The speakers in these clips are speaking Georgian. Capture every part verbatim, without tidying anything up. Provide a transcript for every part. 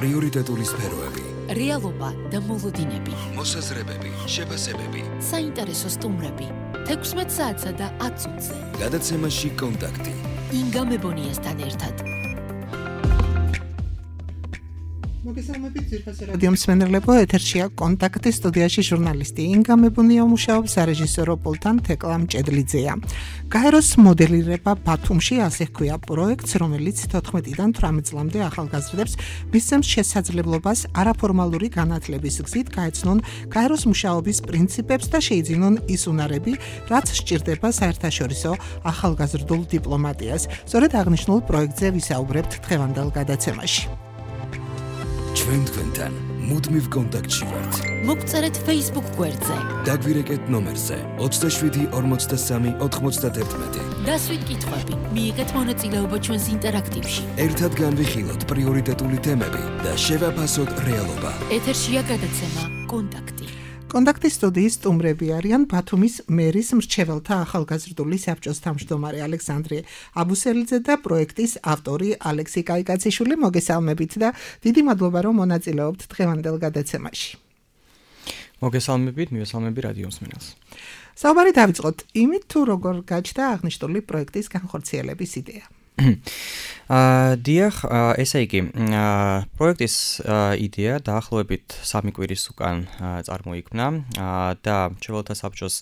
პრიორიტეტული სფეროები, რეალობა და მოლოდინები, მოსაზრებები, შეფასებები, საინტერესო სტუმრები, თექვსმეტ საათსა და ათ წუთზე. გადაცემაში კონტაქტი. ინგა მებონიასთან ერთად. მოგესალმებით ძირფასი რადიო მსმენელებო, ეთერშია კონტაქტი, სტუდიაში ჟურნალისტი ინგა მებონია მუშაობს, სარეჟისორო პულტთან თეკლა მჭედლიძეა. გაეროს მოდელირება ბათუმში, ასე ჰქვია პროექტს, რომელიც თოთხმეტიდან თვრამეტ წლამდე ახალგაზრდებს მისცემს შესაძლებლობას არაფორმალური განათლების გზით გაეცნონ გაეროს მუშაობის პრინციპებს და შეიძინონ ის უნარები, რაც სჭირდება საერთაშორისო ახალგაზრდულ დიპლომატიას. სწორედ აღნიშნულ პროექტზე ვისაუბრებთ დღევანდელ გადაცემაში. ჩვენ თქვენთან მუდმივ კონტაქტში ვართ. მოგწერეთ Facebook გვერდზე. დაგვირეკეთ ნომერზე ოცდაშვიდი ორმოცდასამი ოთხმოცდაათი. დასვით კითხვები, მიიღეთ მონაწილეობა ჩვენს ინტერაქტივში. ერთად განვიხილოთ პრიორიტეტული თემები და შევაფასოთ რეალობა. ეთერშია გადაცემა კონტაქტი. კონტაქტის სტუდიის სტუმრები არიან ბათუმის მერის მრჩეველთა ახალგაზრდული საბჭოს თავმჯდომარე ალექსანდრე აბუსელიძე და პროექტის ავტორი ალექსი კაიკაციშვილი. მოგესალმებით და დიდი მადლობა რომ მონაწილეობთ დღევანდელ გადაცემაში. მოგესალმებით, მივესალმები რადიო მსმენელს. საუბარი დავიწყოთ იმით, თუ როგორ გაჩნდა აღნიშნული პროექტის განხორციელების იდეა. აა დიახ, ესე იგი, პროექტის იდეა დაახლოებით სამი კვირის უკან წარმოიქმნა და მრჩეველთა საბჭოს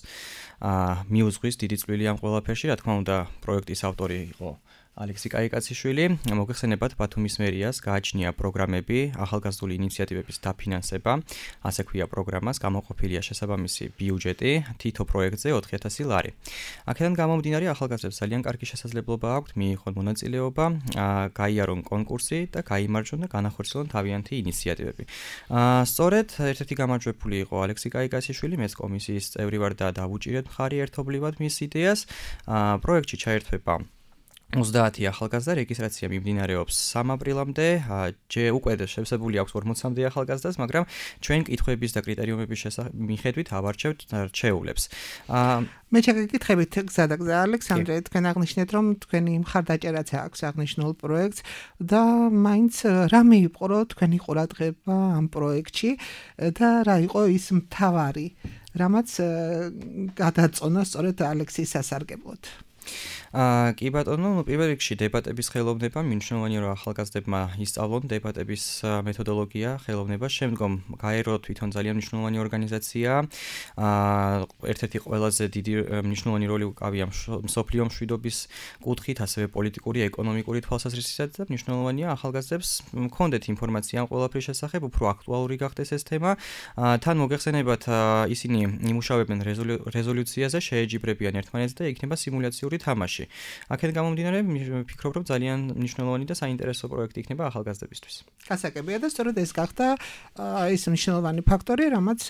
მიუძღვის დიდი წვლილი ამ ყველაფერში, რა თქმა უნდა, პროექტის ავტორი იყო ალექსი კაიკაციშვილი. მოგეხსენებათ, ბათუმის მერიას გააჩნია პროგრამები ახალგაზრდული ინიციატივების დაფინანსება, ასე ქვია პროგრამას, გამოყოფილია შესაბამისი ბიუჯეტი თითო პროექტზე ოთხი ათასი ლარი. აქედან გამომდინარე, ახალგაზრდებს ძალიან კარგი შესაძლებლობა აქვთ მიიღონ მონაწილეობა, გაიარონ კონკურსი და გაიმარჯვონ და განახორციელონ თავიანთი ინიციატივები. სწორედ ერთ-ერთი გამარჯვებული იყო ალექსი კაიკაციშვილი, მეც კომისიის წევრი ვარ და დავუჭირეთ მხარი ერთობლივად მის იდეას. პროექტში ჩაერთვება ოცდაათი ახალგაზრდა, რეგისტრაცია მიმდინარეობს სამი აპრილამდე, ჯე უკვე შევსებული აქვს ორმოცამდე ახალგაზრდას, მაგრამ ჩვენ კითხვების და კრიტერიუმების მიხედვით ავარჩევთ რჩეულებს. მე შეგეკითხებით გზადაგზა ალექსანდრე, თქვენ აღნიშნეთ, რომ თქვენი მხარდაჭერაც აქვს აღნიშნულ პროექტს და მაინც რა მიიპყრო თქვენი ყურადღება ამ პროექტში და რა იყო ის მთავარი, რამაც გადაწონა სწორედ ალექსის სასარგებლოდ. აა კი ბატონო, ნუ პირველ რიგში დებატების ხელოვნება, მნიშვნელოვანია რომ ახალგაზრდებმა ისწავლონ დებატების მეთოდოლოგია, ხელოვნება, შემდგომ გაერო თვითონ ძალიან მნიშვნელოვანი ორგანიზაციაა. აა ერთ-ერთი ყველაზე დიდი მნიშვნელოვანი როლი უკავია მსოფლიო მშვიდობის კუთხით, ასევე პოლიტიკური, ეკონომიკური თვალსაზრისით და მნიშვნელოვანია ახალგაზრდებს მქონდეთ ინფორმაცია ამ ყველაფრის შესახებ, უფრო აქტუალური გახდეს ეს თემა. თან მოგეხსენებათ, ისინი იმუშავებენ რეზოლუციაზე, შეეჯიბრებიან ერთმანეთს და იქნება სიმულაციური თამაში. აქედან გამომდინარე, ვფიქრობ, რომ ძალიან მნიშვნელოვანი და საინტერესო პროექტი იქნება ახალგაზრდებისთვის. გასაგებია და სწორედ ეს გახდა ის მნიშვნელოვანი ფაქტორი, რამაც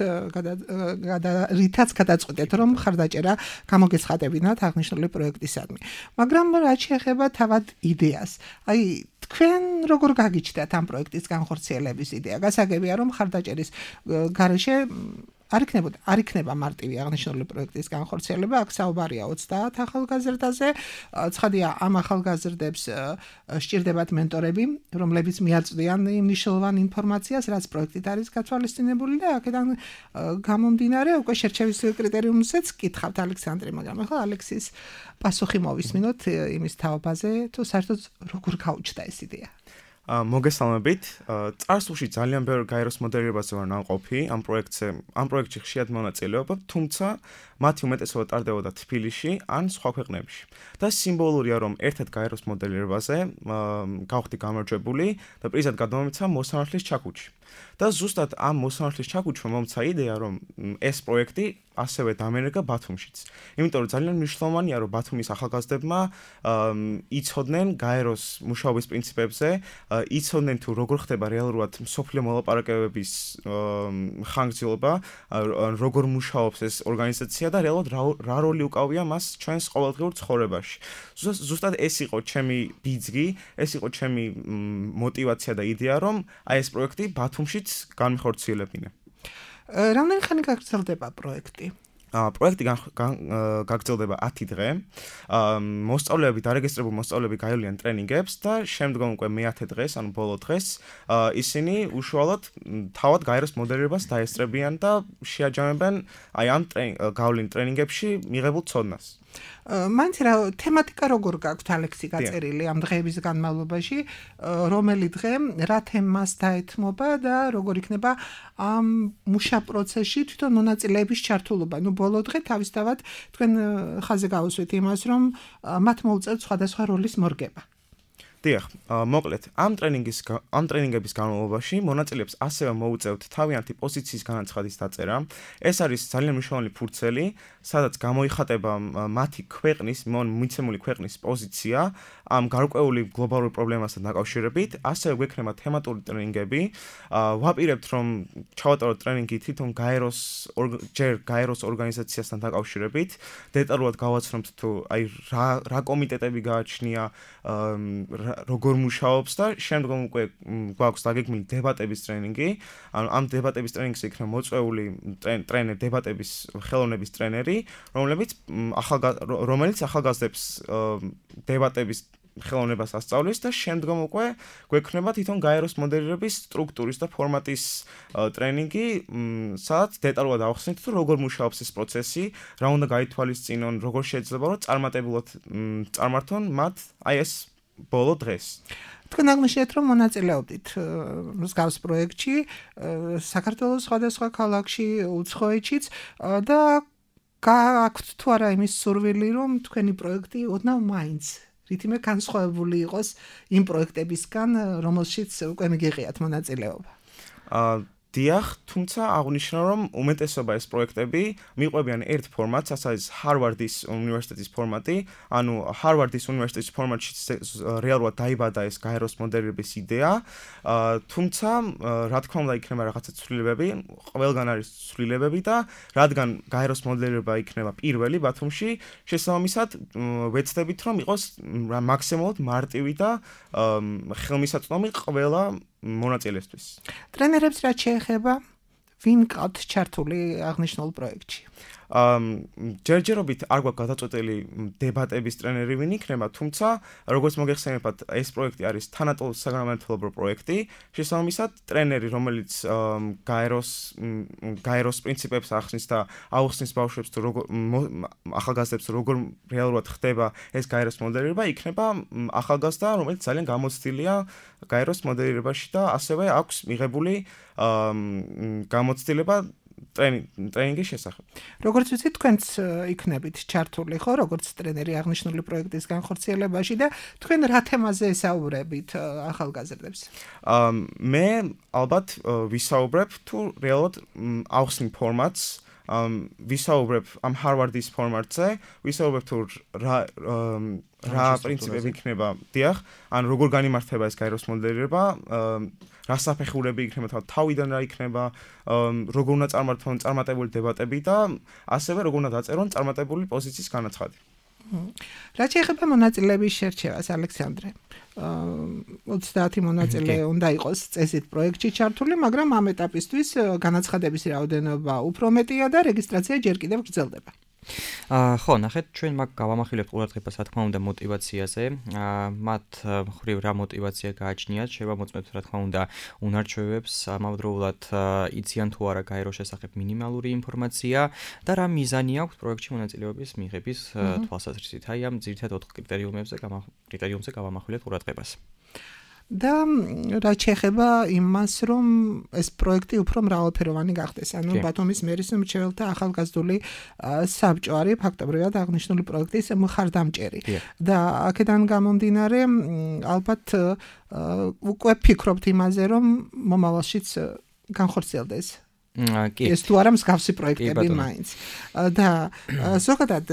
რითაც გადაწყვეტეთ, რომ მხარდაჭერა გამოგეცხადებინათ აღნიშნული პროექტისადმი. მაგრამ რაც შეეხება თავად იდეას, აი თქვენ როგორ გაგიჩნდათ ამ პროექტის განხორციელების იდეა? გასაგებია, რომ მხარდაჭერის გარეშე არ იქნება არ იქნება მარტივი აღნიშნული პროექტის განხორციელება, აქ საუბარია ოცდაათ ახალგაზრდაზე. ცხადია, ამ ახალგაზრდებს სჭირდებათ მენტორები, რომლებიც მიაწვდიან იმ მნიშვნელოვან ინფორმაციას, რაც პროექტით არის გათვალისწინებული და აქედან გამომდინარე, უკვე შერჩევის კრიტერიუმზეც კითხავთ ალექსანდრე, მაგრამ ახლა ალექსის პასუხი მოვისმინოთ იმის თაობაზე, თუ საერთოდ როგორ გაუჩნდა ეს იდეა. მოგესალმებით. წარსულში ძალიან ბევრი გაეროს მოდელირებაზე ვარ ნამყოფი ამ პროექტზე, ამ პროექტში ხშირად მონაწილეობა, თუმცა მათი უმეტესობა ტარდებოდა თბილისში ან სხვა ქვეყნებში. და სიმბოლურია, რომ ერთად გაეროს მოდელირებაზე გავხდი გამარჯვებული და პრიზად გადმომეცა მოსამართლის ჩაქუჩი. და ზუსტად ამ მოსამართლის ჩაქუჩმა მომცა იდეა, რომ ეს პროექტი ასევე დამერეგა ბათუმშიც. იმიტომ რომ ძალიან მნიშვნელოვანია, რომ ბათუმის ახალგაზრდებმა იცოდნენ გაეროს მუშაობის პრინციპებზე, იცოდნენ თუ როგორ ხდება რეალურად მსოფლიო მოლაპარაკებების ხანგრძლივობა, როგორ მუშაობს ეს ორგანიზაცია და რეალურად რა როლი უკავია მას ჩვენს ყოველდღიურ ცხოვრებაში. ზუსტად ეს იყო ჩემი ბიძგი, ეს იყო ჩემი мотивация და იდეა, რომ აი ეს პროექტი ბათუმშიც განხორციელებინა. რამდენი ხანი გაგრძელდება პროექტი? პროექტი გაგრძელდება ათი დღე. მოსწავლეები დარეგისტრირებული მოსწავლეები გაივლიან ტრენინგებს და შემდგომ უკვე მეათე დღეს, ანუ ბოლო დღეს, ისინი უშუალოდ თავად გაეროს მოდერირებას დაესწრებიან და შეაჯამებენ აი ამ გავლენ ტრენინგებში მიღებულ ცოდნას. მაინც რა თემატიკა როგორ გაქვთ ალექსი გაწერილი ამ დღეების განმავლობაში, რომელი დღე რა თემას დაეთმობა და როგორ იქნება ამ მუშა პროცესში თვითონ მონაწილეების ჩართულობა. ნუ ბოლო დღე თავისთავად თქვენ ხაზზე გავუსვით იმას, რომ მათ მოუწევთ სხვადასხვა როლის მორგება. დიახ, მოკლედ, ამ ტრენინგის ამ ტრენინგების განმავლობაში მონაწილეებს ასევე მოუწევთ თავიანთი პოზიციის განაცხადის დაწერა. ეს არის ძალიან მნიშვნელოვანი ფურცელი, სადაც გამოიხატება მათი ქვეყნის, მიცემული ქვეყნის პოზიცია ამ გარკვეული გლობალური პრობლემასთან დაკავშირებით. ასევე გვექნება თემატური ტრენინგები. ვაპირებთ, რომ ჩავატაროთ ტრენინგი თვითონ გაეროს ჯერ გაეროს ორგანიზაციასთან დაკავშირებით. დეტალურად გავაცნობთ თუ აი რა რა კომიტეტები გააჩნია, როგორ მუშაობს და შემდგომ უკვე გვაქვს დაგეგმილი დებატების ტრენინგი. ანუ ამ დებატების ტრენინგზე იქნება მოწვეული ტრენერი, დებატების ხელოვნების ტრენერი, რომლებიც რომელიც ახალგაზრდებს დებატების ხელოვნებას ასწავლის და შემდგომ უკვე გვექნება თვითონ გაეროს მოდერირების სტრუქტურის და ფორმატის ტრენინგი, სადაც დეტალურად ავხსნით თუ როგორ მუშაობს ეს პროცესი, რა უნდა გაითვალისწინონ, როგორ შეიძლება რომ წარმატებულად წარმართონ მათ აი ეს ბოლო დღეს. თქვენ აღმოჩნდეთ, რომ მონაწილეობდით მსგავს პროექტში საქართველოს სხვადასხვა ქალაქში, უცხოეთშიც და გაქვთ თუ არა იმის სურვილი, რომ თქვენი პროექტი ოდნავ მაინც რითიმე განსხვავებული იყოს იმ პროექტებისგან, რომელშიც უკვე მიგიღიათ მონაწილეობა. დიახ, თუმცა აღნიშნო, რომ უმეტესობა ეს პროექტები მიყვებიან ერთ ფორმატს, ასე არის ჰარვარდის უნივერსიტეტის ფორმატი, ანუ ჰარვარდის უნივერსიტეტის ფორმატში რეალურად დაიბადა ეს გაეროს მოდერირების იდეა, თუმცა რა თქმა უნდა იქნება რაღაცა ცვლილებები, ყველგან არის ცვლილებები და რადგან გაეროს მოდერირება იქნება პირველი ბათუმში, შესაბამისად ვეცდებით, რომ იყოს მაქსიმალურად მარტივი და ხელმისაწვდომი ყველა მონაწილესთვის. ტრენერებს რა შეეხება? ვინ ყავთ ჩართული აღნიშნულ პროექტში? ჯერჯერობით არ გვაქვს გადაწყვეტილი დებატების ტრენერი ვინ იქნება, თუმცა როგორც მოგეხსენებათ, ეს პროექტი არის თანატოლ საგანმანათლებლო პროექტი, შესაბამისად ტრენერი, რომელიც გაეროს გაეროს პრინციპებს ახსნის და აუხსნის ბავშვებს თუ როგორ ახალგაზრდებს როგორ რეალურად ხდება ეს გაეროს მოდერირება, იქნება ახალგაზრდა, რომელიც ძალიან გამოცდილია გაეროს მოდერირებაში და ასევე აქვს მიღებული გამოცდილება ტრენინგის შესახებ. როგორც ვიცით, თქვენც იქნებით ჩართული, ხო, როგორც ტრენერი აღნიშნული პროექტის განხორციელებაში და თქვენ რა თემაზე ესაუბრებით ახალგაზრდებს? მე ალბათ ვისაუბრებ თუ რეალურად ავხსნი ფორმატს, ვისაუბრებ ამ ჰარვარდის ფორმატზე, ვისაუბრებ თუ რა რა პრინციპები იქნება, დიახ, ან როგორ განიმართება ეს გაეროს მოდერირება, რა საფეხურები იქნება, თავიდან რა იქნება, როგორ უნდა წარმართონ წარმატებული დებატები და ასევე როგორ უნდა დაწერონ წარმატებული პოზიციის განაცხადი. რა შეეხება მონაწილეების შერჩევას, ალექსანდრე? ოცდაათი მონაწილე უნდა იყოს წესით პროექტში ჩართული, მაგრამ ამ ეტაპისთვის განაცხადების რაოდენობა უფრო მეტია და რეგისტრაცია ჯერ კიდევ გრძელდება. აა ხო, ნახეთ, ჩვენ მაგ გავამახვილებთ ყურადღებას, რა თქმა უნდა, мотиваციაზე. აა მათ ხრივ რა мотиваცია გააჩნიათ, შევამოწმებთ, რა თქმა უნდა, უნარჩვევებს, ამავდროულად იციან თუ არა გაეროს შესახებ მინიმალური ინფორმაცია და რა მიზანი აქვს პროექტში მონაწილეობის მიღების თვალსაზრისით. აი ამ ძირითად ოთხ კრიტერიუმებზე კრიტერიუმზე გავამახვილებთ ყურადღებას. და რაც შეეხება იმას, რომ ეს პროექტი უფრო მრავალფეროვანი გახდეს. ანუ ბათუმის მერის მრჩეველთა ახალგაზრდული საბჭო არის ფაქტობრივად აღნიშნული პროექტის მხარდამჭერი. და აქედან გამომდინარე, ალბათ უკვე ფიქრობთ იმაზე, რომ მომავალშიც განხორციელდეს. ეს თუ არა მსგავსი პროექტები მაინც. და ზოგადად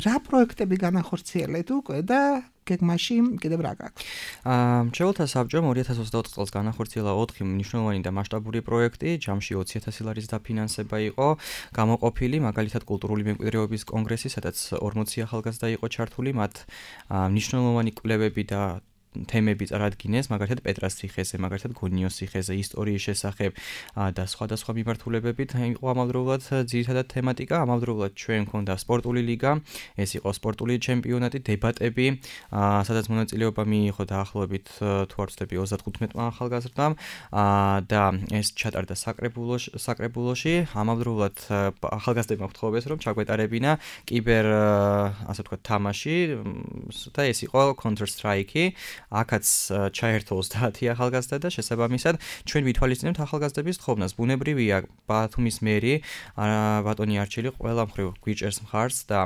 რა პროექტები განახორციელეთ უკვე და გეგმაში კიდევ რა გაქვთ? აა მრჩეველთა საბჭომ ორი ათას ოცდაოთხ წელს განახორციელა ოთხი მნიშვნელოვანი და მასშტაბური პროექტი, ჯამში ოცი ათასი ლარის დაფინანსება იყო გამოყოფილი, მაგალითად კულტურული მემკვიდრეობის კონგრესი, სადაც ორმოცი ახალგაზრდა იყო ჩართული, მათ მნიშვნელოვანი კვლევები და თემები წარადგინეს, მაგალითად პეტრას ციხეზე, მაგალითად გონიოს ციხეზე, ისტორიის შესახებ და სხვადასხვა მიმართულებებით იყო ამავდროულად ძირითადად თემატიკა, ამავდროულად ჩვენ გვქონდა სპორტული ლიგა, ეს იყო სპორტული ჩემპიონატი, დებატები, სადაც მონაწილეობა მიიღო დაახლოებით თუ არ ვცდები ოცდათხუთმეტმა ახალგაზრდამ და ეს ჩატარდა საკრებულოში, საკრებულოში, ამავდროულად ახალგაზრდებმა ვთხოვეს, რომ ჩაგვეტარებინა კიბერ, ასე ვთქვათ, თამაში და ეს იყო Counter-Strike-ი. აქაც ჩაერთო ოცდაათი ახალგაზრდა და შესაბამისად ჩვენ ვითვალისწინებთ ახალგაზრდების თხოვნას. ბუნებრივია, ბათუმის მერი ბატონი არჩილი ყველა მხრივ გვიჭერს მხარს და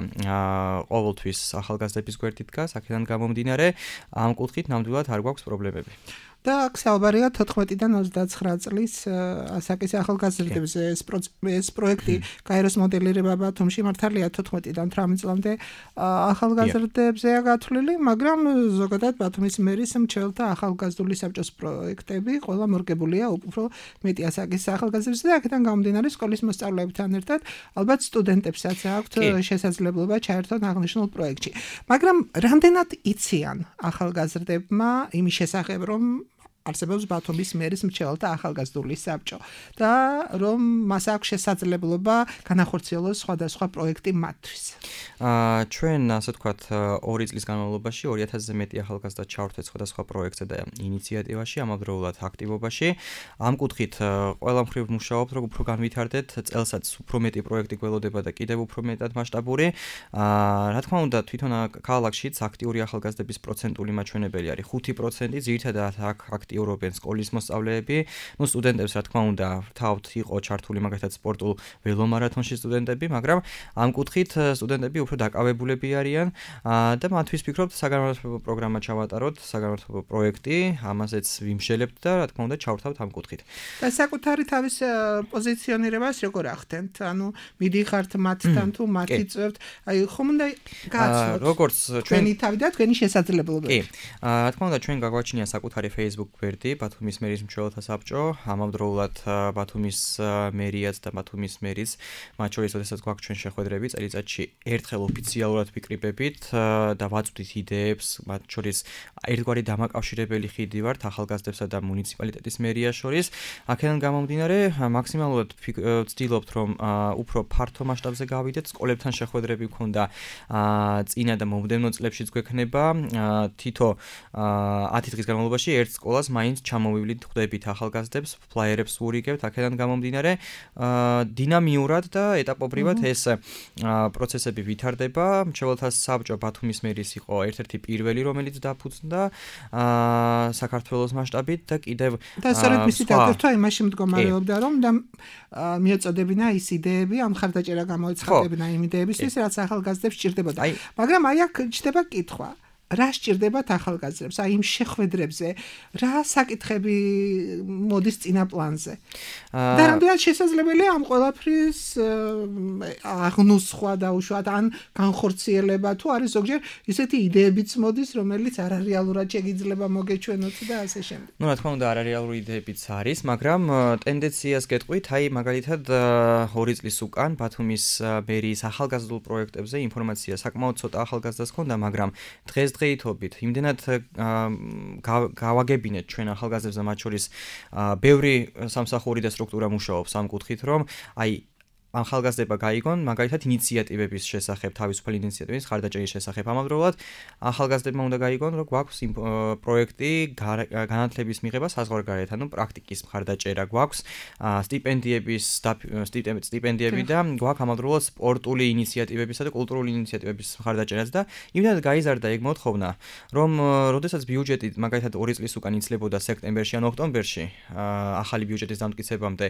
ყოველთვის ახალგაზრდების გვერდით დგას, აქედან გამომდინარე, ამ კუთხით ნამდვილად არ გვაქვს პრობლემები. და აქ საუბარია თოთხმეტიდან ოცდაცხრა წლის ასაკის ახალგაზრდებზე ეს ეს პროექტი გაეროს მოდელირება ბათუმში მართალია თოთხმეტიდან თვრამეტ წლამდე ახალგაზრდებზეა გათვლილი, მაგრამ ზოგადად ბათუმის მერის მრჩეველთა ახალგაზრდული საბჭოს პროექტები ყველა მორგებულია უფრო მეტი ასაკის ახალგაზრდებზე და აქედან გამომდინარე სკოლის მოსწავლეებთან ერთად ალბათ სტუდენტებსაც აქვთ შესაძლებლობა ჩაერთონ აღნიშნულ პროექტში. მაგრამ რამდენად იციან ახალგაზრდებმა იმის შესახებ, რომ არსებობს ბათუმის მერის მრჩეველთა ახალგაზრდული საბჭო და რომ მას აქვს შესაძლებლობა განახორციელოს სხვადასხვა პროექტი მათთვის. აა ჩვენ ასე ვთქვათ ორი წლის განმავლობაში ორი ათასზე მეტი ახალგაზრდა ჩავრთვეთ სხვადასხვა პროექტზე და ინიციატივაში, ამავდროულად აქტივობაში. ამ კუთხით ყველა მხრივ მუშაობთ, რომ უფრო განვითარდეთ, წელსაც უფრო მეტი პროექტი გველოდება და კიდევ უფრო მეტად მასშტაბური. აა რა თქმა უნდა, თვითონ ქალაქშიც აქტიური ახალგაზრდების პროცენტული მაჩვენებელი არის ხუთი პროცენტი, ძირითადად აქ აქტიურობენ სკოლის მოსწავლეები, ну სტუდენტებს რა თქმა უნდა, თავთ იყო ჩართული მაგალითად სპორტულ ველომარათონში სტუდენტები, მაგრამ ამ კუთხით სტუდენტები უფრო დაკავებულები არიან და მათთვის ვფიქრობ საგანმანათლებლო პროგრამა ჩავატაროთ, საგანმანათლებლო პროექტი, ამაზეც ვიმშელებთ და რა თქმა უნდა ჩავრთავთ ამ კუთხით. და საკუთარი თავის პოზიციონირებას როგორ ახდენთ? ანუ მიდიხართ მათთან თუ მათი წევთ, აი ხომ უნდა გააცნოთ როგორც ჩვენი თავი და თქვენი შესაძლებლობები. კი. რა თქმა უნდა ჩვენ გაგვაჩნია საკუთარი Facebook გვერდი, ბათუმის მერის მრჩეველთა საბჭო, ამავდროულად ბათუმის მერიაც და ბათუმის მერის მათ შორის შესაძლოა გვაქვს ჩვენ შეხვედრები წელიწადში ერთხელ ოფიციალურად ვიკრიბებით და ვაწვდით იდეებს, მათ შორის ერთგვარი დამაკავშირებელი ხიდი ვართ ახალგაზრდებსა და მუნიციპალიტეტის მერიას შორის. აქედან გამომდინარე, მაქსიმალურად ვცდილობთ, რომ უფრო ფართო მასშტაბზე გავიდეთ, სკოლებთან შეხვედრები გქონდა წინა და მომდევნო წლებშიც გვექნება თითო ათი დღის განმავლობაში ერთ სკოლას მაინც ჩამოვივლით, ხვდებით ახალგაზრდებს, ფლაიერებს ვურიგებთ, აქედან გამომდინარე, დინამიურად და ეტაპობრივად ეს პროცესები ვითარდება. მრჩეველთა საბჭო ბათუმის მერის იყო ერთ-ერთი პირველი, რომელიც დაფუძნდა საქართველოს მასშტაბით და კიდევ და სწორედ მისი დაგერტვა იმაში მდგომარეობდა, რომ და მიეწოდებინა ის იდეები, ამ ხარდაჭერა გამოეცხადებინა იმ იდეებისთვის, რაც ახალგაზრდებს სჭირდებოდა. მაგრამ აი აქ ჩდება კითხვა. რა სჭირდებათ ახალგაზრდებს? აი იმ შეხვედრებზე რა საკითხები მოდის წინა პლანზე? და რამდენად შესაძლებელია ამ ყველაფრის აღნუსხვა და უშუალოდ ან განხორციელება თუ არის ზოგჯერ ისეთი იდეებიც მოდის, რომელიც არარეალურად შეიძლება მოგეჩვენოთ და ასე შემდეგ. ну რა თქმა უნდა არარეალური იდეებიც არის, მაგრამ ტენდენციას გეტყვით, აი მაგალითად ორი წლის უკან ბათუმის მერის ახალგაზრდულ პროექტებზე ინფორმაცია საკმაოდ ცოტა ახალგაზრდას ჰქონდა, მაგრამ დღეს დღეითობით იმდენად გავაგებინეთ ჩვენ ახალგაზრდებს და მათ შორის ბევრი სამსახური და სტრუქტურა მუშაობს ამ კუთხით, რომ აი ახალგაზრდება გაიგონ მაგალითად ინიციატივების შესახებ, თავისუფალი ინიციატივების ხარდაჭერის შესახებ. ამავდროულად ახალგაზრდებმა უნდა გაიგონ, რომ გვაქვს პროექტი განათლების მიღება საზღვარგარეთ, ანუ პრაქტიკის ხარდაჭერა გვაქვს, სტიპენდიების სტიპენდიები და გვაქვს ამავდროულად სპორტული ინიციატივებისა და კულტურული ინიციატივების ხარდაჭერაც და იმდენად გაიზარდა ეგ მოთხოვნა, რომ როდესაც ბიუჯეტი მაგალითად ორი წლის უკან იცლებოდა სექტემბერში ან ოქტომბერში ახალი ბიუჯეტის დამტკიცებამდე,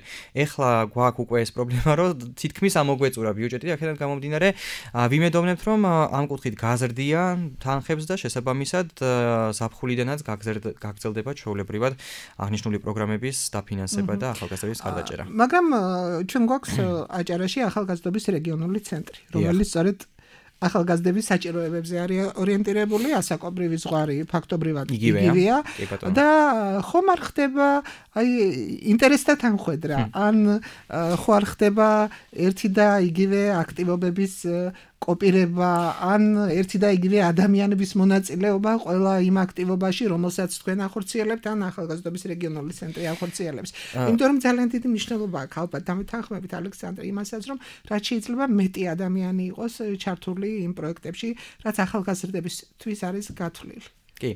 ეხლა გვაქვს უკვე ეს პრობლემა, რომ თითქმის ამოგვეწურა ბიუჯეტი, აქედან გამომდინარე, ვიმედოვნებთ, რომ ამ კუთხით გაზრდია თანხებს და შესაბამისად ზაფხულიდანაც გაგრძელდება ჩვეულებრივად აღნიშნული პროგრამების დაფინანსება და ახალგაზრდების ხარდაჭერა. მაგრამ ჩვენ გვაქვს აჭარაში ახალგაზრდობის რეგიონული ცენტრი, რომელიც სწორედ ახალგაზრდების საჭიროებებზე არის ორიენტირებული, ასაკობრივი ზღვარი ფაქტობრივად იგივეა და ხომ არ ხდება აი ინტერესთა თანხვედრა, ან ხო არ ხდება ერთი და იგივე აქტივობების კოპირება ან ერთი და იგივე ადამიანების მონაწილეობა ყველა იმ აქტივობაში, რომელსაც თქვენ ახორციელებთ ან ახალგაზრდობის რეგიონული ცენტრი ახორციელებს. იმიტომ რომ ძალიან დიდი მნიშვნელობა აქვს ალბათ დამეთანხმებით ალექსანდრე იმასაც, რომ რაც შეიძლება მეტი ადამიანი იყოს ჩართული იმ პროექტებში, რაც ახალგაზრდებისთვის არის გათვლილი. კი.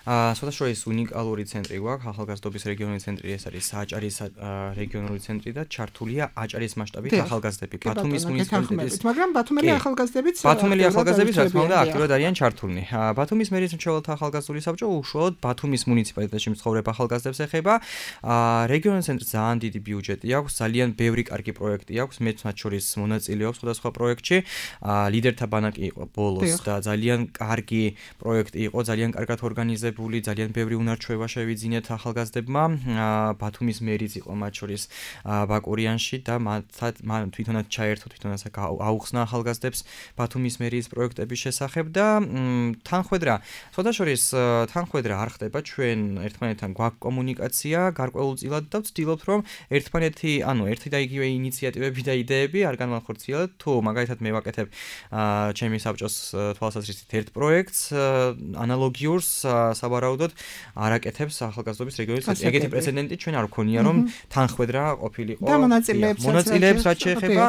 აა სოთაშორის უნიკალური ცენტრი გვაქვს, ახალგაზრდობის რეგიონული ცენტრი, ეს არის აჭარის რეგიონული ცენტრი და ჩართულია აჭარის მასშტაბით ახალგაზრდები. ბათუმის მუნიციპალიტეტის, მაგრამ ბათუმელი ახალგაზრდებიც ბათუმელი ახალგაზრდებიც რა თქმა უნდა აქტიურად არიან ჩართულნი. ბათუმის მერის მრჩეველთა ახალგაზრდული საბჭო უშუალოდ ბათუმის მუნიციპალიტეტში მცხოვრებ ახალგაზრდებს ეხება. აა რეგიონული ცენტრს ძალიან დიდი ბიუჯეტი აქვს, ძალიან ბევრი კარგი პროექტი აქვს, მეც მათ შორის მონაწილეობს სხვადასხვა პროექტში. აა ლიდერთა ბანაკი იყო ბოლოს და ძალიან კარგი პროექტი იყო, ძალიან კარგად ორგანიზებული, ძალიან ბევრი უნარჩვევა შევიძინეთ ახალგაზრდებმა. ბათუმის მერიც იყო მათ შორის ბაკურიანში და მან თვითონაც ჩაერთო, თვითონაც აუხსნა ახალგაზრდებს ბათუმის მერის პროექტების შესახებ და თანხwebdriver, სოთაშორის თანხwebdriver არ ხდება, ჩვენ ერთმანეთთან გვაქვს კომუნიკაცია გარკვეულწილად და ვცდილობთ რომ ერთმანეთი, ანუ ერთი და იგივე ინიციატივები და იდეები არ განვახორციელოთ. თუ მაგალითად მე ვაკეთებ ჩემი საბჭოს თვალსაზრისით ერთ პროექტს, ანალოგიურ საბარაუდოდ არაკეთებს ახალგაზრდობის რეგიონის ცენტრი. ეგეთი პრეცედენტი ჩვენ არ გვქონია, რომ თანხwebdriver ყოფილიყო. და მონაწილეებს მონაწილეებს რაც შეეხება,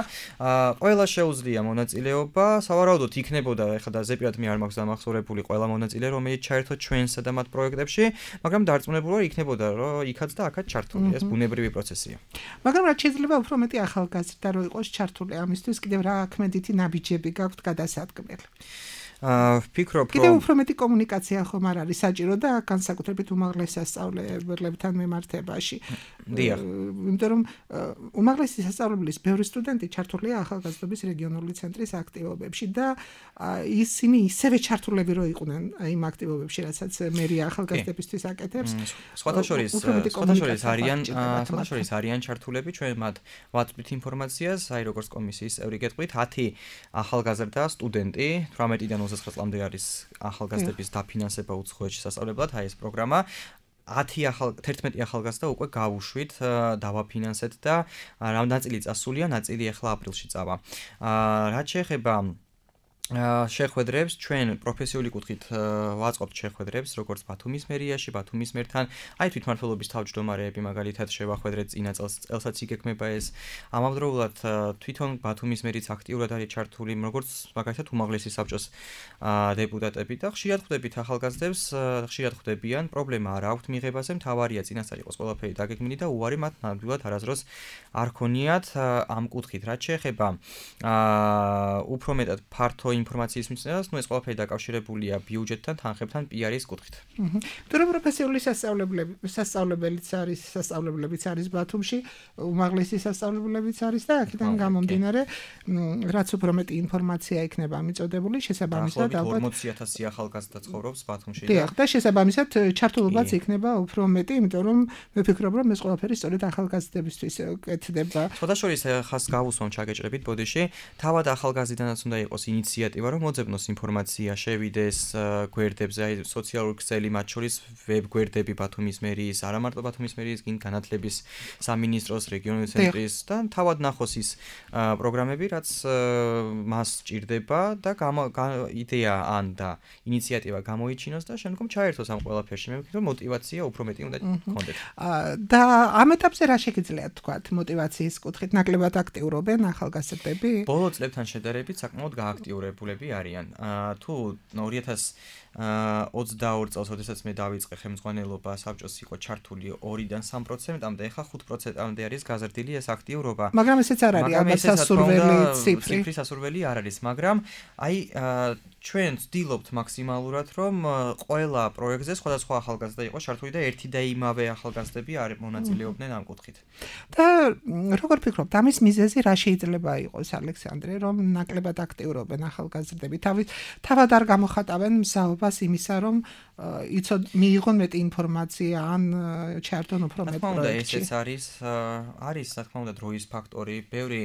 ყველა შეუძლია მონაწილეობა. საბარაუდოდ იქნებოდა, ეხლა და ზეპირად მე არ მაქვს დამახსოვრებული ყველა მონაწილე, რომელიც ჩაერთო ჩვენსა და მათ პროექტებში, მაგრამ დარწმუნებული ვარ, იქნებოდა, რომ იქაც და აქაც ჩართული. ეს ბუნებრივი პროცესია. მაგრამ რაც შეიძლება უფრო მეტი ახალგაზრდა რო იყოს ჩართული, ამისთვის კიდევ რა ქმედითი ნაბიჯები გაქვთ გადასადგმელი? აა ვფიქრობ, რომ კიდევ უფრო მეტი კომუნიკაცია ხომ არ არის საჭირო და განსაკუთრებით უმაღლეს სასწავლებლებთან მიმართებაში. დიახ. იმიტომ რომ უმაღლესი სასწავლებლის ბევრი სტუდენტი ჩართულია ახალგაზრდობის რეგიონული ცენტრის აქტივობებში და ისინი ისევე ჩართულები რო იყვნენ იმ აქტივობებში, რასაც მერი ახალგაზრდებისთვის აკეთებს. სხვათა შორის, სხვათა შორის არიან, სხვათა შორის არიან ჩართულები, ჩვენ მათ ვაწვდით ინფორმაციას, აი როგორც კომისიის წევრი გეტყვით, ათი ახალგაზრდა სტუდენტი თვრამეტიდან ოცდათხმეტ წლამდე არის ახალგაზრდების დაფინანსება უცხოეთში სასწავლებლად, აი ეს პროგრამა. ათი ახალ თერთმეტი ახალგაზრდა უკვე გავუშვით, დავაფინანსეთ და რამდენწილი წასულია, ნაწილი ახლა აპრილში წავა. აა რაც შეეხება შეხვედრებს, ჩვენ პროფესიული კუთხით ვაწყობთ შეხვედრებს, როგორც ბათუმის მერიაში, ბათუმის მერთან, აი თვითმმართველობის თავმჯდომარეები მაგალითად შევახვედრეთ წინა წელს, წელსაც იგეგმება ეს. ამავდროულად თვითონ ბათუმის მერიც აქტიურად არის ჩართული, როგორც მაგალითად უმაღლესი საბჭოს დეპუტატები და ხშირად ხვდებით ახალგაზრდებს, ხშირად ხვდებიან, პრობლემა არ აქვთ მიღებაზე, მთავარია წინასწარ იყოს ყველაფერი დაგეგმილი და უარი მათ ნამდვილად არასდროს არ ქონიათ ამ კუთხით. რაც შეეხება აა უფრო მეტად ფართო ინფორმაციის მისცემას, ნუ ეს ყველაფერი დაკავშირებულია ბიუჯეტთან, თანხებთან, პი-არის კუთხით. თუ პროფესიული სასწავლებლები, სასწავლებელიც არის, სასწავლებლებიც არის ბათუმში, უმაღლესი სასწავლებლებიც არის და აქედან გამომდინარე, რაც უფრო მეტი ინფორმაცია იქნება მიწოდებული, შესაბამისად ალბათ ორმოცი ათასი ახალგაზრდა ცხოვრობს ბათუმში. დიახ, და შესაბამისად ჩართულობაც იქნება უფრო მეტი, იმიტომ რომ მე ვფიქრობ, რომ ეს ყველაფერი სწორედ ახალგაზრდებისთვის კეთდება. სხვადასხვა ხას გავუსვამ ჩაგეჭრებით ბოდიში, თავად ახალგაზრდიდანაც უნდა იყოს ინიციატივა, რომ მოძებნოს ინფორმაცია, შევიდეს გვერდებზე, აი სოციალური ქსელი, მათ შორის ვებ გვერდები ბათუმის მერის, არა მარტო ბათუმის მერის, გინ განათლების სამინისტროს, რეგიონული ცენტრის და თავად ნახოს ის პროგრამები, რაც მას სჭირდება და იდეა ან და ინიციატივა გამოიჩინოს და შემდგომ ჩაერთოს ამ ყველაფერში. მე ვფიქრობ, მოტივაცია უფრო მეტი უნდა გქონდეთ. და ამ ეტაპზე რა შეგიძლიათ თქვათ მოტივაციის კუთხით, ნაკლებად აქტიურობენ ახალგაზრდები? ბოლო წლებთან შედარებით საკმაოდ გააქტიურებულები არიან. თუ ორი ათას ოცდაორი წელს, როდესაც მე დავიწყე ხელმძღვანელობა, საბჭოს იყო ჩართული ორიდან სამ პროცენტამდე, ეხლა ხუთ პროცენტამდე არის გაზრდილი ეს აქტიურობა. მაგრამ ესეც არ არის ალბათ სასურველი ციფრი. ციფრი სასურველი არ არის, მაგრამ აი ჩვენ ვცდილობთ მაქსიმალურად, რომ ყველა პროექტზე სხვადასხვა ახალგაზრდა იყოს ჩართული და ერთი და იმავე ახალგაზრდები არ მონაწილეობდნენ ამ კუთხით. და როგორ ფიქრობთ, ამის მიზეზი რა შეიძლება იყოს, ალექსანდრე, რომ ნაკლებად აქტიურობენ ახალგაზრდები? თავად არ გამოხატავენ მსაობას იმისა, რომ იცოდ მიიღონ მეტი ინფორმაცია ან ჩაერთონ უფრო მეტ პროექტში? ესეც არის, არის რა თქმა უნდა დროის ფაქტორი, ბევრი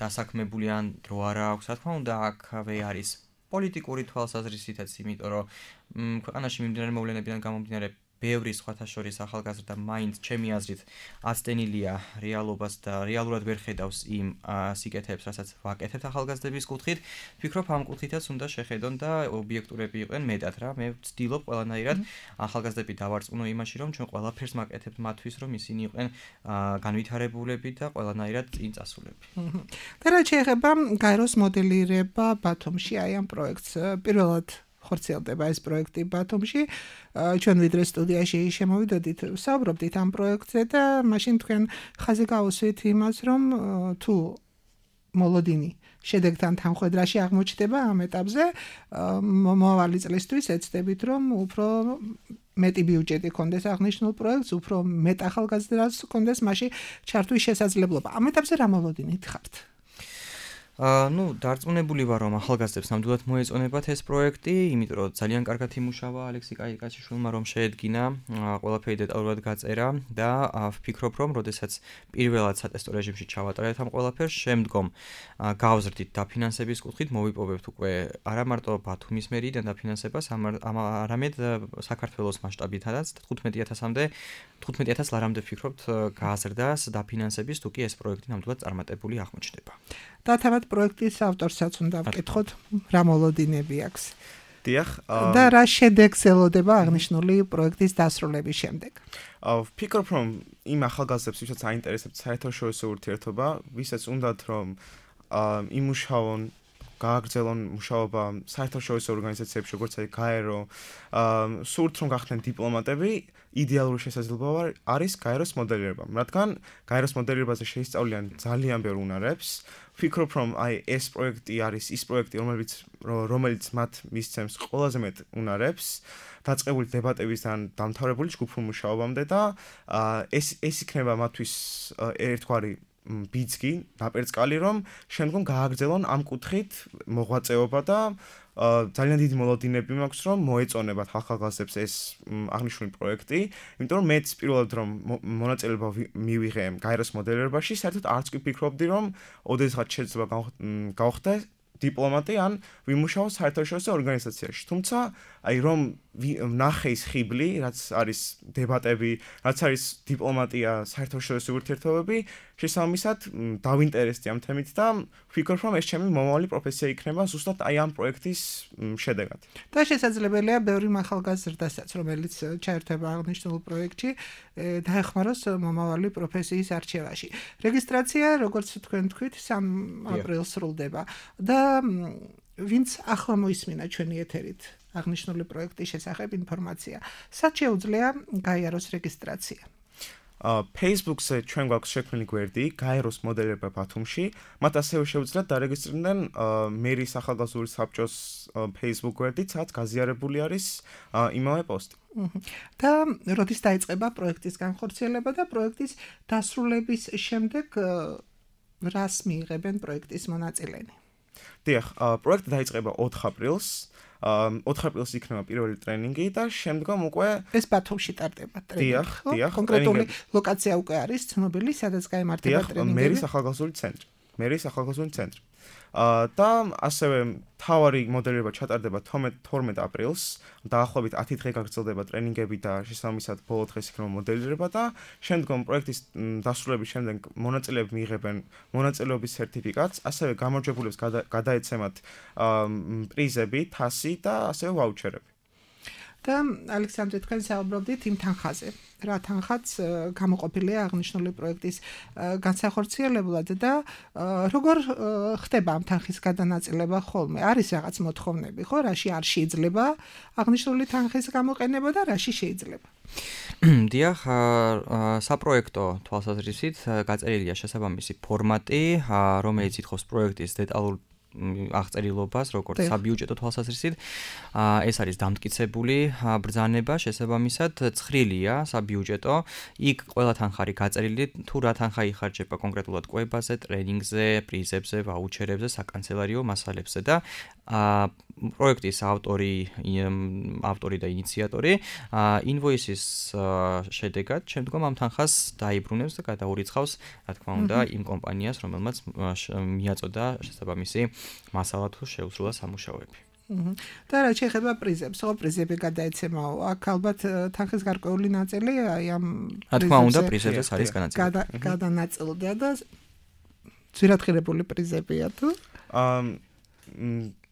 დასაქმებული ან დრო არ აქვს, რა თქმა უნდა აქ არის პოლიტიკური თვალსაზრისითაც, იმიტომ რომ ქვეყანაში მიმდინარე მოვლენებიდან გამომდინარე ბევრი სხვათა შორის ახალგაზრდა მაინც ჩემი აზრით აცდენილია რეალობას და რეალურად ვერ ხედავს იმ სიკეთეებს, რასაც ვაკეთებთ ახალგაზრდების კუთხით. ვფიქრობ, ამ კუთხითაც უნდა შეხედონ და ობიექტურები იყვნენ მეტად რა. მე ვცდილობ ყველანაირად ახალგაზრდები დავარწმუნო იმაში, რომ ჩვენ ყველაფერს მაკეთებთ მათთვის, რომ ისინი იყვნენ განვითარებულები და ყველანაირად წინ წასულები. და რაც შეეხება გაეროს მოდელირება ბათუმში, აი ამ პროექტს პირველად ხორციელდება ეს პროექტი ბათუმში. ჩვენ ვიდრე სტუდიაში შემოვიდოდით, საუბრობდით ამ პროექტზე და მაშინ თქვენ ხაზი გაუსვით იმას, რომ თუ მოლოდინი შედეგთან თანხვედრაში აღმოჩნდება ამ ეტაპზე, მომავალი წლისთვის ეცდებით, რომ უფრო მეტი ბიუჯეტი კონდეს აღნიშნულ პროექტს, უფრო მეტ ახალგაზრდას კონდეს მასში ჩართვის შესაძლებლობა. ამ ეტაპზე რა მოლოდინით ხართ? აა ნუ დარწმუნებული ვარ, რომ ახალგაზრდებს ნამდვილად მოეწონებათ ეს პროექტი, იმიტომ რომ ძალიან კარგად იმუშავა ალექსი კაიკაშვილმა, რომ შეედგინა ყველაფერი დეტალურად გაწერა და ვფიქრობ, რომ როდესაც პირველად სატესტო რეჟიმში ჩავატარეთ ამ ყველაფერს, შემდგომ გავზრდით დაფინანსების კუთხით, მოვიპოვებთ უკვე არა მარტო ბათუმის მერიდან დაფინანსებას, არამედ საქართველოს მასშტაბითაც თხუთმეტი ათასამდე თხუთმეტი ათას ლარამდე ვფიქრობთ გააზრდას დაფინანსების, თუ კი ეს პროექტი ნამდვილად წარმატებული აღმოჩნდება. და თავად პროექტის ავტორსაც უნდა ვკითხოთ, რა მოლოდინები აქვს. დიახ. და რა შედეგს ელოდება აღნიშნული პროექტის დასრულების შემდეგ. ვფიქრობ, რომ იმ ახალგაზრდებს, ვისაც აინტერესებთ საერთაშორისო ურთიერთობა, ვისაც უნდათ რომ იმუშაონ, გააგრძელონ მუშაობა საერთაშორისო ორგანიზაციებში, როგორც აი გაერო, სურთ რომ გახდნენ დიპლომატები, იდეალური შესაძლებლობა არის გაეროს მოდელირება. რადგან გაეროს მოდელირებაზე შეისწავლიან ძალიან ბევრ უნარებს. ვფიქრობ, რომ აი ეს პროექტი არის ის პროექტი, რომელიც რომელიც მათ მისცემს ყველაზე მეტ უნარებს, დაწყებული დებატებისგან დამთავრებული ჯგუფურ მუშაობამდე და ეს ეს იქნება მათთვის ერთგვარი ბიძგი, ნაპერწკალი, რომ შემდგომ გააგრძელონ ამ კუთხით მოღვაწეობა და ძალიან დიდი მოლოდინები მაქვს, რომ მოეწონებათ ახალგაზრდებს ეს აღნიშნული პროექტი, იმიტომ რომ მეც პირველად რომ მონაწილეობა მივიღე გაეროს მოდელირებაში, საერთოდ არც კი ვფიქრობდი, რომ ოდესღაც შეიძლება გავხდე დიპლომატი ან ვიმუშაო საერთაშორისო ორგანიზაციაში. თუმცა, აი რომ ნახე ის ხიბლი, რაც არის დებატები, რაც არის დიპლომატია, საერთაშორისო ურთიერთობები, შესაბამისად დავინტერესდი ამ თემით და ვფიქრობ, რომ ეს ჩემი მომავალი პროფესია იქნება ზუსტად აი ამ პროექტის შედეგად. და შესაძლებელია ბევრი ახალგაზრდასაც, რომელიც ჩაერთვება აღნიშნულ პროექტში, დაეხმაროს მომავალი პროფესიის არჩევაში. რეგისტრაცია, როგორც თქვენ თქვით, სამ აპრილს სრულდება და ვინც ახლა მოისმინა ჩვენი ეთერით აღნიშნული პროექტის შესახებ ინფორმაცია, სად შეუძლია გაიაროს რეგისტრაცია? Facebook-ზე ჩვენ გვაქვს შექმნილი გვერდი გაეროს მოდელირება ბათუმში, მათ ასევე შეუძლიათ დარეგისტრირდნენ მერის ახალგაზრდული საბჭოს Facebook გვერდით, სადაც გაზიარებული არის იმავე პოსტი. და როდის დაიწყება პროექტის განხორციელება და პროექტის დასრულების შემდეგ რას მიიღებენ პროექტის მონაწილენი? დიახ, პროექტი დაიწყება ოთხ აპრილს. ოთხ აპრილს იქნება პირველი ტრენინგი და შემდგომ უკვე ეს ბათუმში ტარდება ტრენინგი. დიახ, დიახ. კონკრეტული ლოკაცია უკვე არის ცნობილი, სადაც გაიმართება ტრენინგები. მერის ახალგაზრდული ცენტრი. მერის ახალგაზრდული ცენტრი. და ასევე თავარი მოდელირება ჩატარდება თორმეტ აპრილს, დაახლოებით ათი დღე გაგრძელდება ტრენინგები და შესაბამისად ბოლო დღეს იქნება მოდელირება და შემდგომ პროექტის დასრულების შემდეგ მონაწილეები მიიღებენ მონაწილეობის სერტიფიკატს, ასევე გამარჯვებულებს გადაეცემათ პრიზები, თასი და ასევე ვაუჩერები. და ალექსანდრე, თქვენ საუბრობდით იმ თანხაზე. რა თანხაც გამოყოფილია აღნიშნული პროექტის განსახორციელებლად და როგორ ხდება ამ თანხის გადანაწილება ხოლმე? არის რაღაც მოთხოვნები, ხო? რაში არ შეიძლება აღნიშნული თანხის გამოყენება და რაში შეიძლება? დიახ, საპროექტო თვალსაზრისით გაწერილია შესაბამისი ფორმატი, რომელიც ითხოვს პროექტის დეტალურ აღწერილობას, როგორც საბიუჯეტო თვალსაზრისით. ეს არის დამტკიცებული ბრძანება, შესაბამისად ცხრილია საბიუჯეტო. იქ ყველა თანხარი გაწერილი, თუ რა თანხა იხარჯება კონკრეტულად კვებაზე, ტრენინგზე, პრიზებზე, ვაუჩერებზე, საკანცელერიო მასალებზე და პროექტის ავტორი, ავტორი და ინიციატორი ინვოისის შედეგად შემდგომ ამ თანხას დაიბრუნებს და გადაურიცხავს, რა თქმა უნდა, იმ კომპანიას, რომელმაც მიაწოდა შესაბამისი მასალა თუ შეუსრულა სამუშაოები. და რა შეეხება პრიზებს, ხო პრიზები გადაეცემაო. აქ ალბათ თანხის გარკვეული ნაწილი აი ამ რა თქმა უნდა პრიზებზეც არის განაწილებული. გადანაწილდა და ძვირადღირებული პრიზებია თუ? აა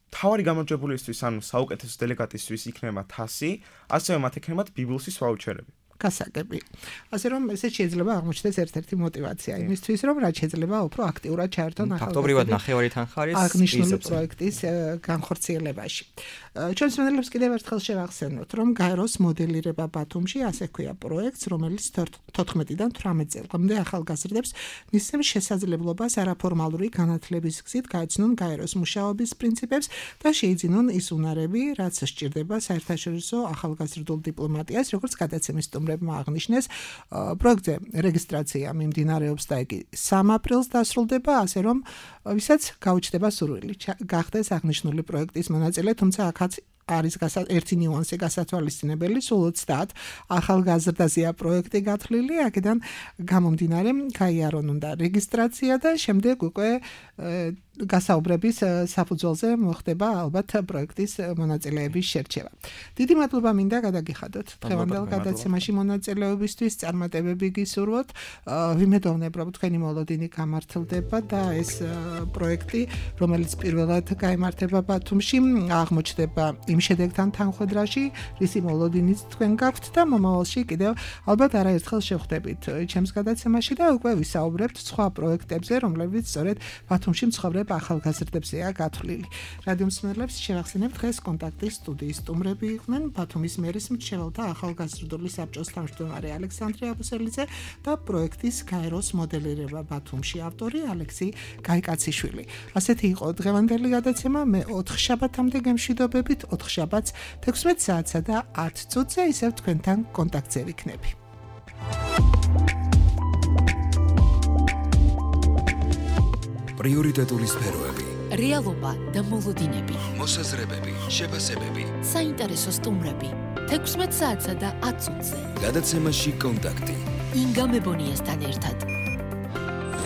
თავარი გამარჯვებულისთვის ან საუკეთესო დელეგატისთვის იქნება თასი, ასევე მათ ექნებათ ბიბლსის ვაუჩერები. გასაგები. ასე რომ ესე შეიძლება აღმოჩნდეს ერთ-ერთი мотиваცია იმისთვის, რომ რაც შეიძლება უფრო აქტიურად ჩაერთონ ახალგაზრდები. ფაქტობრივად ნახევარი თანხა არის აღნიშნული პროექტის განხორციელებაში. ჩვენს მენელებს კიდევ ერთხელ შევახსენოთ, რომ გაეროს მოდელირება ბათუმში ასე ქვია პროექტს, რომელიც თოთხმეტიდან თვრამეტ წელამდე ახალგაზრდებს მისცემს შესაძლებლობას არაფორმალური განათლების გზით გაეცნონ გაეროს მუშაობის პრინციპებს და შეიძინონ ის უნარები, რაც სჭირდება საერთაშორისო ახალგაზრდულ დიპლომატიას, როგორც გადაცემის სტუმრებმა აღნიშნეს. პროექტზე რეგისტრაცია მიმდინარეობს და იგი სამ აპრილს დასრულდება, ასე რომ ვისაც გაუჩნდება სურვილი გახდეს აღნიშნული პროექტის მონაწილე, თუმცა აქაც არის ერთი ნიუანსი გასათვალისწინებელი, სულ ოცდაათ ახალგაზრდაზეა პროექტი გათვლილი, აქედან გამომდინარე გაიარონ უნდა რეგისტრაცია და შემდეგ უკვე გასაუბრების საფუძველზე მოხდება ალბათ პროექტის მონაწილეების შერჩევა. დიდი მადლობა მინდა გადაგიხადოთ დღევანდელ გადაცემაში მონაწილეობისთვის, წარმატებები გისურვოთ. ვიმედოვნებ, რომ თქვენი მოლოდინი გამართლდება და ეს პროექტი, რომელიც პირველად გაიმართება ბათუმში, აღმოჩნდება იმ შედეგთან თანხვედრაში, რისი მოლოდინიც თქვენ გაქვთ და მომავალში კიდევ ალბათ არაერთხელ შევხვდებით ჩემს გადაცემაში და უკვე ვისაუბრებთ სხვა პროექტებზე, რომლებიც სწორედ ბათუმში მცხოვრებ ახალგაზრდებზეა გათვლილი. რადიო მსმენელებს შევახსენებთ, დღეს კონტაქტის სტუდიის სტუმრები იყვნენ ბათუმის მერის მრჩეველთა ახალგაზრდული საბჭოს თავმჯდომარე ალექსანდრე აბუსელიძე და პროექტის გაეროს მოდელირება ბათუმში ავტორი ალექსი გაიკაციშვილი. ასეთი იყო დღევანდელი გადაცემა. მე ოთხ შაბათამდე გემშვიდობებით, ოთხ შაბათს თექვსმეტ საათსა და ათ წუთზე ისევ თქვენთან კონტაქტზე ვიქნები. პრიორიტეტული სფეროები, რეალობა და მოლოდინები, მოსაზრებები, შეფასებები, საინტერესო სტუმრები, თექვსმეტ საათსა და ათ წუთზე. გადაცემაში კონტაქტი. ინგა მებონიასთან ერთად.